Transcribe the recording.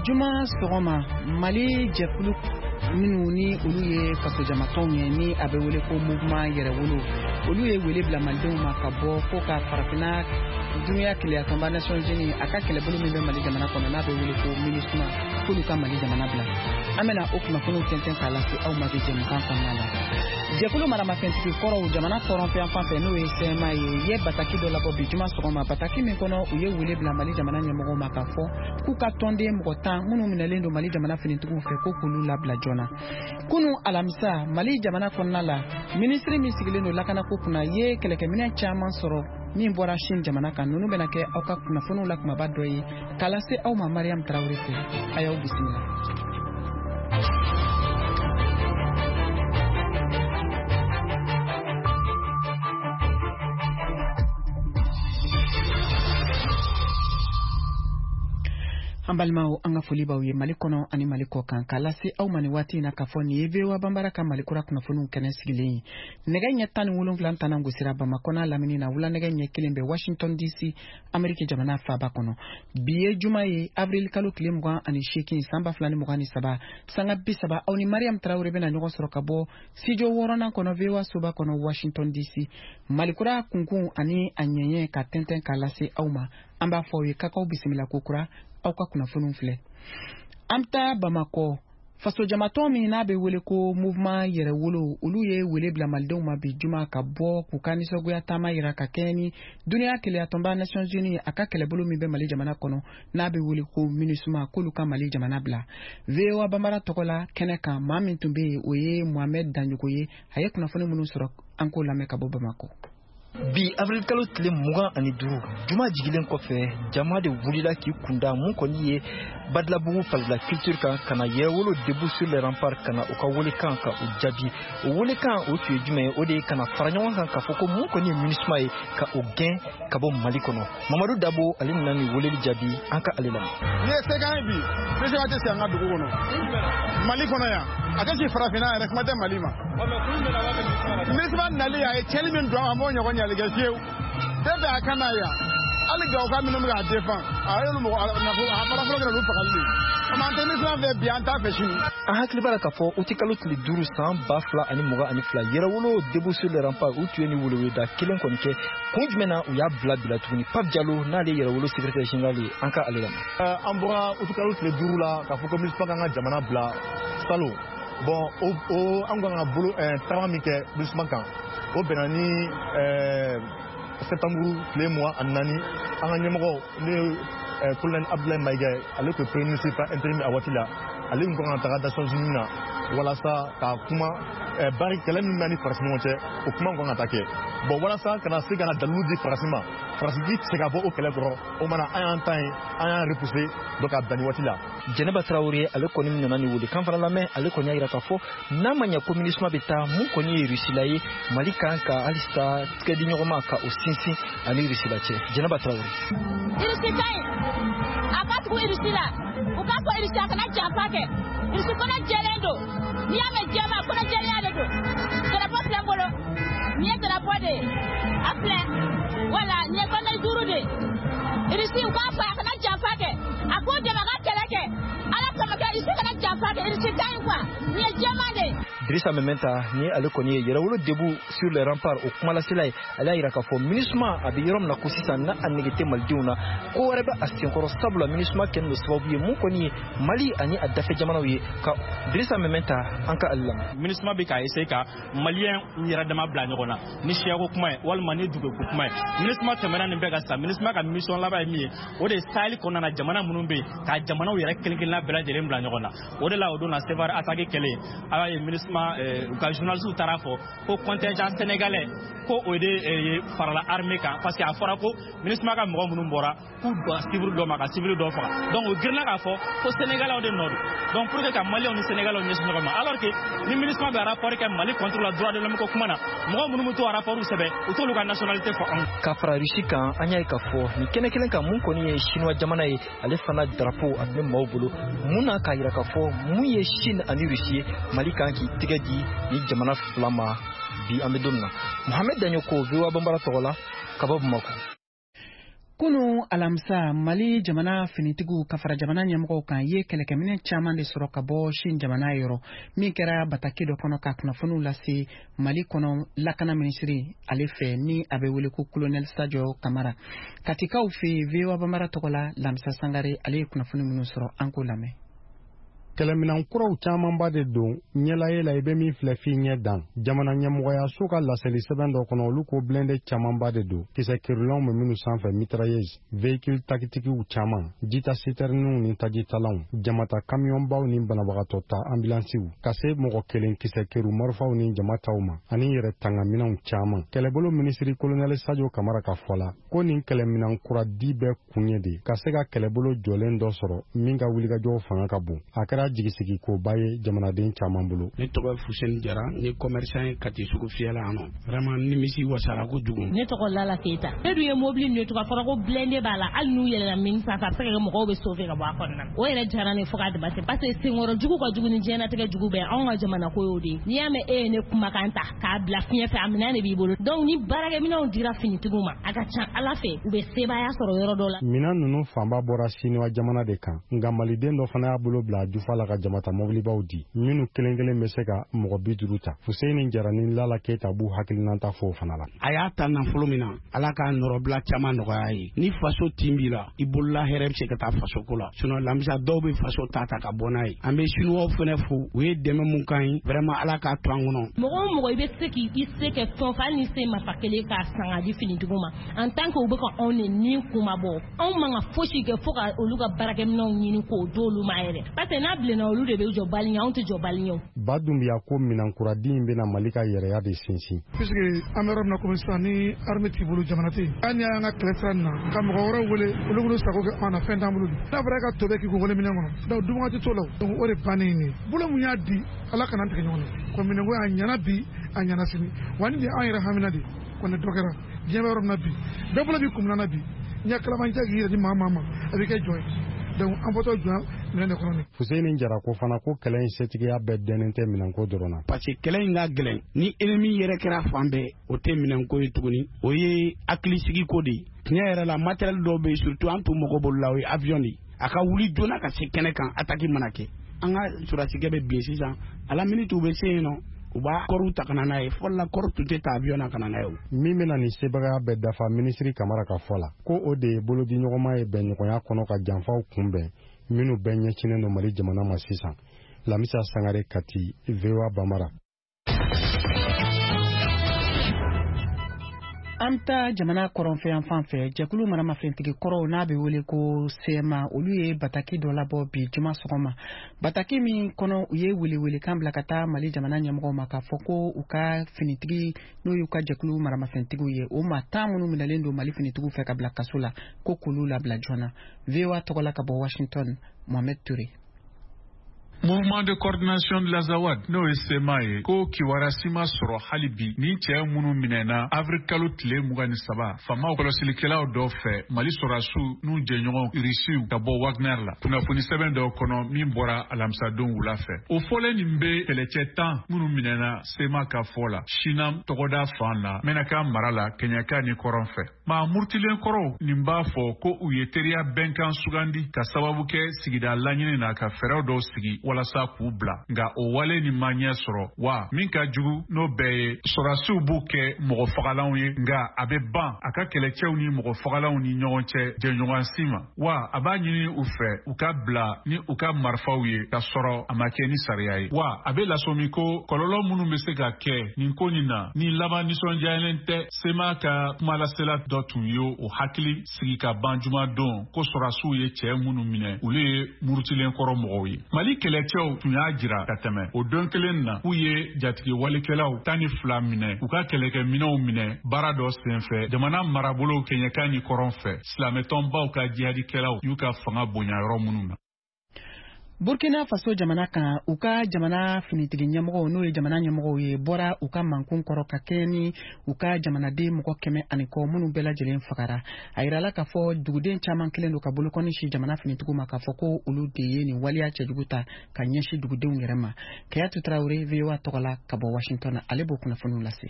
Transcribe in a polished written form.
Bi juma sɔgɔma, Mali jɛkulu minnu ni olu ye fasojamatɔnw ye, ni a bɛ wele ko Mouvement Yɛrɛwolo, olu ye wele bila malidenw ma ka bɔ ko ka Farafinna Duniya Kelenyatɔnba, Nations Unies, a ka kɛlɛbolo min bɛ Mali jamana kɔnɔ, n'a bɛ wele ko MINUSMA, k'olu ka Mali jamana bila. An bɛna o kunnafoniw tɛntɛn k'a lase aw ma bi jɛmukan kɔnɔna la. Jɛkulu maramafɛntigi kɔrɔw jamana kɔrɔnfɛ fan fɛ, n'o ye CMA ye, ye bataki dɔ labɔ bi juma sɔgɔma, bataki min kɔnɔ u ye wele bila Mali jamana ɲɛmɔgɔw ma k'a fɔ k'u ka tɔnden mɔgɔ 10 minnu minɛlen don Mali jamana finitigiw fɛ, ko k'olu labila joona. Kunu alamisa, Mali jamana kɔnɔna la, minisiri min sigilen don lakanako kunna ye kɛlɛkɛminɛ caman sɔrɔ min bɔra Chine jamana kan. Ninnu bɛna kɛ aw ka kunnafoniw la kumaba dɔ ye k'a lase aw ma Mariam Tarawele fɛ. A y'aw bisimila. An balimaw, an ka foli b'aw ye Mali kɔnɔ ani Mali kɔ kan, k'a lase aw ma nin waati in na k'a fɔ nin ye VOA Banbara ka Mali kura kunnafoniw kɛnɛ sigilen ye. Nɛgɛ ɲɛ 17 tana gosira Bamakɔ n'a lamini na, wula nɛgɛ ɲɛ 1 bɛ Washington DC, Ameriki jamana faaba kɔnɔ. Bi ye juma ye, avril kalo tile 28, san 2023, sanga 30, aw ni Mariam Tarawele bɛna ɲɔgɔn sɔrɔ ka bɔ studio wɔɔrɔnan kɔnɔ, VOA soba kɔnɔ, Washington DC, Malikura kunkun ani a ɲɛɲɛ ka tɛntɛn k'a lase aw ma. An b'a fɔ aw ye k'aw bisimila ko kura. Aw ka kunnafoniw filɛ. An bɛ taa Bamakɔ. Fasojamatɔn min n'a bɛ wele ko Mouvement Yɛrɛwolo, olu ye wele bila malidenw ma bi juma ka bɔ k'u ka nisɔngoya taama yira ka kɛɲɛ ni Duniya Kelenyatɔnba, Nations Unies, a ka kɛlɛbolo min bɛ Mali jamana kɔnɔ, n'a bɛ wele ko MINUSMA, k'olu ka Mali jamana bila. VOA Banbara tɔgɔ la kɛnɛ kan, maa min tun bɛ yen, o ye Mohamed Danjogo ye. A ye kunnafoni minnu sɔrɔ, an k'o lamɛn ka bɔ Bamakɔ. Bi avril kalo tile 25, juma jigilen kɔfɛ, jama de wulila k'i kunda mun kɔni ye Badilabugu Palais de la Culture kan, ka na Yɛrɛwolo Debout sur les Remparts, ka na u ka welekan ka u jaabi. O welekan o tun ye jumɛn ye? O de ye ka na fara ɲɔgɔn kan k'a fɔ ko mun kɔni ye MINUSMA ye, ka o gɛn ka bɔ Mali kɔnɔ. Mamadu Dabo, ale nana nin weleli jaabi. An ka ale lamɛn. N'i ye se k'an ye bi, MINUSMA tɛ sigi an ka dugu kɔnɔ, Mali kɔnɔ yan. A tɛ sigi farafinna yɛrɛ, kuma tɛ Mali ma. MINUSMA nali, a ye tiɲɛni min don, an b'o ɲɔgɔn ɲali kɛ fiyewu. Depuis a ka na yan, hali Gawoka minnu bɛ k'a défend, a y'olu mɔgɔ nafolo a fɔlɔ fɔlɔ kɛra olu fagali de ye. An tɛ MINUSMA fɛ bi, an t'a fɛ sini. An hakili b'a la k'a fɔ uti kalo tile 5, san 2022, Yɛrɛwolo Debout sur les Remparts, u tun ye ni weleweleda kelen kɔni kɛ. Kun jumɛn na u y'a bila bila tuguni? Pape Jalo, n'ale ye Yɛrɛwolo secrétaire général ye, an ka ale lamɛn. An bɔra uti kalo tile 5 la k'a fɔ ko MINUSMA k'an ka jamana bila salon. Bon, o an kan ka bolo tagama min kɛ MINUSMA kan, o bɛnna ni septembre tile 24. An ka ɲɛmɔgɔ, ne ye colonel Abdoulaye Maïga ye, ale tun ye premier ministre par intérim a waati la, ale tun kan ka taga Nations Unies na walasa ka kuma bari kɛlɛ min bɛ ni Faransi ɲɔgɔn cɛ, o kuma kan ka taa kɛ. Bon, walasa ka na se ka na dalilu di Faransi ma, Faransi k'i tɛ se ka bɔ o kɛlɛ kɔrɔ, o mana an y'an ta ye, an y'an repousser donc ka bila nin waati la. Jɛnɛba Tarawele, ale kɔni nana ni wele kan fana lamɛn. Ale kɔni y'a yira k'a fɔ n'a ma ɲɛ ko MINUSMA bɛ taa, mun kɔni ye Rusila ye, Mali kan ka halisa tigɛ di ɲɔgɔn ma ka o sinsin ani Rusila cɛ. Jɛnɛba Tarawele. Irisi ka ɲi, a ka tugu Irisi la. U k'a fɔ Irisi a kana janfa kɛ. Irisi kɔnɔ jɛlen don. N'i y'a mɛn jɛma, kɔnɔ jɛlenya de don. Drapeau filɛ n bolo, nin ye drapeau de ye, a filɛ. Wala nin ye bande 5 de ye. Irisi, u k'a fɔ a kana janfa kɛ, a k'o dɛmɛ a ka kɛlɛ kɛ Ala kama kɛ. Irisi kana janfa kɛ, Irisi ka ɲi quoi. Nin ye jɛman de ye. Dirisa Mɛmɛnta ni ale kɔni ye Yɛrɛwolo Debout sur les Remparts o kumalasela ye, ale y'a yira k'a fɔ MINUSMA a bɛ yɔrɔ min na ko sisan, n'a a nege tɛ malidenw na, ko wɛrɛ bɛ a senkɔrɔ, sabula MINUSMA kɛlen don sababu ye mun kɔni ye Mali ani a dafɛ jamanaw ye. Ka Dirisa Mɛmɛnta, an ka ale lamɛn. MINUSMA bɛ k'a essayer ka maliyɛn yɛrɛ dama bila ɲɔgɔn na ni siyako kuma ye walima ni duguko kuma ye. MINUSMA tɛmɛna nin bɛɛ kan sisan. MINUSMA ka mission laban ye min ye, o de ye Sahel kɔnɔna na jamana minnu bɛ yen, ka jamanaw yɛrɛ kelen kelenna bɛɛ lajɛlen bila ɲɔgɔn na. O de la, o don na Sevare attaque kɛlen, a y'a ye MINUSMA u ka journalistes taara fɔ ko contingent sénégalais ko o de farala armée kan, parce que a fɔra ko MINUSMA ka mɔgɔ minnu bɔra k'u dɔn civil dɔ ma ka civil dɔ faga. Donc o girinna k'a fɔ ko sénégalais de nɔ don, donc pour que ka maliyɛnw ni sénégalais ɲɛsin ɲɔgɔn ma, alors que ni MINUSMA bɛ rapport kɛ Mali contre la droit de l'homme ko kuma na, mɔgɔ minnu bɛ to rapport sɛbɛn, u t'olu ka nationalité fɔ anw. Ka fara Rusi kan, an y'a ye k'a fɔ nin kɛnɛ kelen kan, mun kɔni ye Chinois jamana ye, ale fana drapeau a tun bɛ maaw bolo mun na, k'a yira k'a fɔ mun ye Chine ani Rusi ye, Mali kan k'i tɛgɛ di ni jamana fila ma. Bi an bɛ don min na, Mohamed Daɲoko, VOA Banbara tɔgɔ la ka bɔ Bamakɔ. Kunu alamisa, Mali jamana finitigiw ka fara jamana ɲɛmɔgɔw kan ye kɛlɛkɛminɛn caman de sɔrɔ ka bɔ Chine jamana yɔrɔ, min kɛra bataki dɔ kɔnɔ ka kunnafoniw lase Mali kɔnɔ lakana minisiri ale fɛ, ni a bɛ wele ko Colonel Sadio Kamara. Katikaw fɛ, VOA Bambara tɔgɔ la, Lamisa Sangare ale ye kunnafoni minnu sɔrɔ, an k'o lamɛn. Kɛlɛminan kuraw camanba de don ɲɛlaye la, i bɛ min filɛ f'i ɲɛ dan. Jamana ɲɛmɔgɔyaso ka laseli sɛbɛn dɔ kɔnɔ, olu ko blindé camanba de don, kisɛ kirilanw bɛ minnu sanfɛ, mitrailleuse, véhicule tactiquew caman, jita citernew ni tajitalanw, jamata kamiyɔnbaw ni banabagatɔ ta ambulansiw, ka se mɔgɔ kelen kisɛ keru marifaw ni jama taw ma, ani yɛrɛ tangaminɛnw caman. Kɛlɛbolo minisiri Colonel Sadio Kamara ka fɔ la, ko nin kɛlɛminan kura di bɛɛ kun ye de ka se ka kɛlɛbolo jɔlen dɔ sɔrɔ min ka wulikajɔw fanga ka bon. A kɛra jigisigikoba ye jamanaden caman bolo. Ne tɔgɔ ye Fuseni Jara, n ye commerçant ye Kati sugu fiyɛ la yan nɔ. Vraiment, nimisi wasara kojugu. Ne tɔgɔ Lala Keyita. Ne dun ye mobili ninnu ye tugun, a fɔra ko blindé b'a la, hali n'u yɛlɛnna min sanfɛ, a bɛ se ka kɛ mɔgɔw bɛ sauver ka bɔ a kɔnɔna na. O yɛrɛ diyara ne fo k'a dama tɛmɛ, parce que senkɔrɔ jugu ka jugu ni diɲɛlatigɛ jugu bɛɛ. Anw ka jamana ko y'o de ye. N'i y'a mɛn e ye ne kumakan ta k'a bila fiɲɛ fɛ, a minɛn de b'i bolo. Donc ni baarakɛminɛnw dira finitigiw ma, a ka ca Ala fɛ u bɛ sebaaya sɔrɔ yɔrɔ dɔ la. Minan ninnu fanba bɔra Siniwa jamana de kan, nka maliden dɔ fana y'a bolo bila a jufa la ka jamata mɔbilibaw di, minnu kelen kelen bɛ se ka mɔgɔ 50 ta. Fuseni Jara ni Lala Keyita b'u hakilinata fɔ o fana la. A y'a ta nafolo min na, Ala k'a nɔrɔbila caman nɔgɔya ye. Ni faso tin b'i la, i bolola hɛrɛ bɛ se ka taa faso ko la. Sinon Lamisa, dɔw bɛ faso ta ka bɔ n'a ye. An bɛ Siniwaw fana fo, u ye dɛmɛ mun k'an ye, vraiment Ala k'a to an kɔnɔ. Mɔgɔ o mɔgɔ i bɛ se k'i se kɛ fɛn o fɛn, hali ni se marifa kelen k'a san k'a di finitigiw ma, en tant que u bɛ ka anw de ni kuma bɔ, anw man ka fosi kɛ fo ka olu ka baarakɛminɛnw ɲini k'o d'olu ma yɛrɛ, parce que n'a bilenna, olu de bɛ jɔ bali ɲɛ, anw tɛ jɔ bali ɲɛ. Ba Dunbiya ko minɛnkuradi in bɛna Mali ka yɛrɛya de sinsin. Puisque an bɛ yɔrɔ min na komi sisan, ni armée t'i bolo, jamana tɛ yen. Hali ni y'an ka kɛlɛ sira nin na ka mɔgɔ wɛrɛw wele, olu k'olu sago kɛ an na, fɛn t'an bolo. N'a fɔra e ka to bɛ k'i kun wele minɛn kɔnɔ, donc dunwagati t'o la. Donc o de bannen ye nin ye. Bolo mun y'a di, Ala kana tigɛ ɲɔgɔn na. Ko minɛnko a ɲɛna bi, a ɲɛna sini, wa nin de y'an yɛrɛ hamina de kɔni. Dɔ kɛra diɲɛ bɛ yɔrɔ min na bi, bɛɛ bolo b'i kun na bi, ɲɛ kalabanciya k'i yɛrɛ di maa maa ma, a bɛ kɛ jɔn ye. Donc an bɔtɔ jɔn minɛn de kɔnɔ nin. Fuseni Jara ko fana ko kɛlɛ in setigiya bɛɛ dɛnnen tɛ minɛnko dɔrɔn na. Parce que kɛlɛ in ka gɛlɛn, ni ennemi yɛrɛ kɛra fan bɛɛ, o tɛ minɛnko ye tuguni, o ye hakilisigi ko de ye. Tiɲɛ yɛrɛ la, matériel dɔw bɛ yen, surtout an tun mago b'olu la, o ye avion de ye. A ka wuli joona ka se kɛnɛ kan, attaque mana kɛ, an ka sɔrɔdasikɛ bɛ bin sisan, à la minute u bɛ se yen nɔ, u b'a kɔriw ta ka na n'a ye. Fɔlɔ la, kɔri tun tɛ ta avion na ka na n'a ye o. Min bɛna nin sebagaya bɛɛ dafa, minisiri Kamara ka fɔ la, ko o de ye bolodiɲɔgɔnma ye bɛnɲɔgɔnya kɔnɔ ka janfaw kunbɛn minnu bɛɛ ɲɛsinnen don Mali jamana ma sisan. Lamisa Sangare, Kati, VOA Bambara. An bɛ taa jamana kɔrɔnfɛ yan fan fɛ. Jɛkulu maramafɛntigi kɔrɔw, n'a bɛ wele ko CMA, olu ye bataki dɔ labɔ bi juma sɔgɔma, bataki min kɔnɔ u ye welewelekan bila ka taa Mali jamana ɲɛmɔgɔw ma, k'a fɔ ko u ka finitigi, n'o y'u ka jɛkulu maramafɛntigiw ye, o maa 10 minnu minɛlen don Mali finitigiw fɛ ka bila kaso la, ko k'olu labila joona. VOA tɔgɔ la, ka bɔ Washington, Mohamed Touré. Mouvement de coordination de l'Azawad, n'o ye CMA ye, ko kibaruya si ma sɔrɔ hali bi ni cɛɛ minnu minɛna avril kalo tile 23 faamaw kɔlɔsilikɛlaw dɔ fɛ, Mali sɔrɔdasiw n'u jɛɲɔgɔn Irisiw ka bɔ Wagner la. Kunnafoni sɛbɛn dɔw kɔnɔ min bɔra alamisadon wula fɛ, o fɔlen nin bɛ kɛlɛcɛ 10 minnu minɛna, CMA ka fɔ la, Sinam tɔgɔda fan na, Mɛnaka mara la, Kɛɲɛka ni kɔrɔn fɛ. Maa murutilen kɔrɔw nin b'a fɔ ko u ye teriya bɛnkan sugandi ka sababu kɛ sigida laɲini na ka fɛɛrɛw dɔw sigi walasa k'u bila, nka o wale nin ma ɲɛ sɔrɔ. Wa min ka jugu n'o bɛɛ ye, sɔrɔdasiw b'u kɛ mɔgɔ fagalanw ye, nka a bɛ ban a ka kɛlɛcɛw ni mɔgɔ fagalanw ni ɲɔgɔn cɛ jɛɲɔgɔnsi ma. Wa a b'a ɲini u fɛ u ka bila ni u ka marifaw ye ka sɔrɔ a ma kɛ ni sariya ye. Wa a bɛ lasɔmi ko kɔlɔlɔ minnu bɛ se ka kɛ nin ko nin na ni laban nisɔndiyalen tɛ. CMA ka kumalasela dɔ tun ye o hakili sigi ka ban jumadon ko sɔrɔdasiw ye cɛɛ minnu minɛ, olu ye murutilen kɔrɔ mɔgɔw ye. Mali kɛlɛcɛw tun y'a jira ka tɛmɛ o don kelen na k'u ye jatigi walikɛlaw 12 minɛ, u ka kɛlɛkɛminɛw minɛ baara dɔ senfɛ jamana marabolow kɛɲɛka ni kɔrɔn fɛ, silamɛtɔnbaw ka jihadikɛlaw y'u ka fanga bonya yɔrɔ minnu na. Burkina Faso jamana kan, u ka jamana finitigi ɲɛmɔgɔw, n'o ye jamana ɲɛmɔgɔw ye, bɔra u ka mankun kɔrɔ ka kɛɲɛ ni u ka jamanaden mɔgɔ 100 ani kɔ minnu bɛɛ lajɛlen fagara. A yirala k'a fɔ duguden caman kelen don ka bolokɔni si jamana finitigiw ma, k'a fɔ ko olu de ye nin waleya cɛjugu ta ka ɲɛsin dugudenw yɛrɛ ma. Kayatu Tarawele, VOA tɔgɔ la, ka bɔ Washington, ale b'o kunnafoniw lase.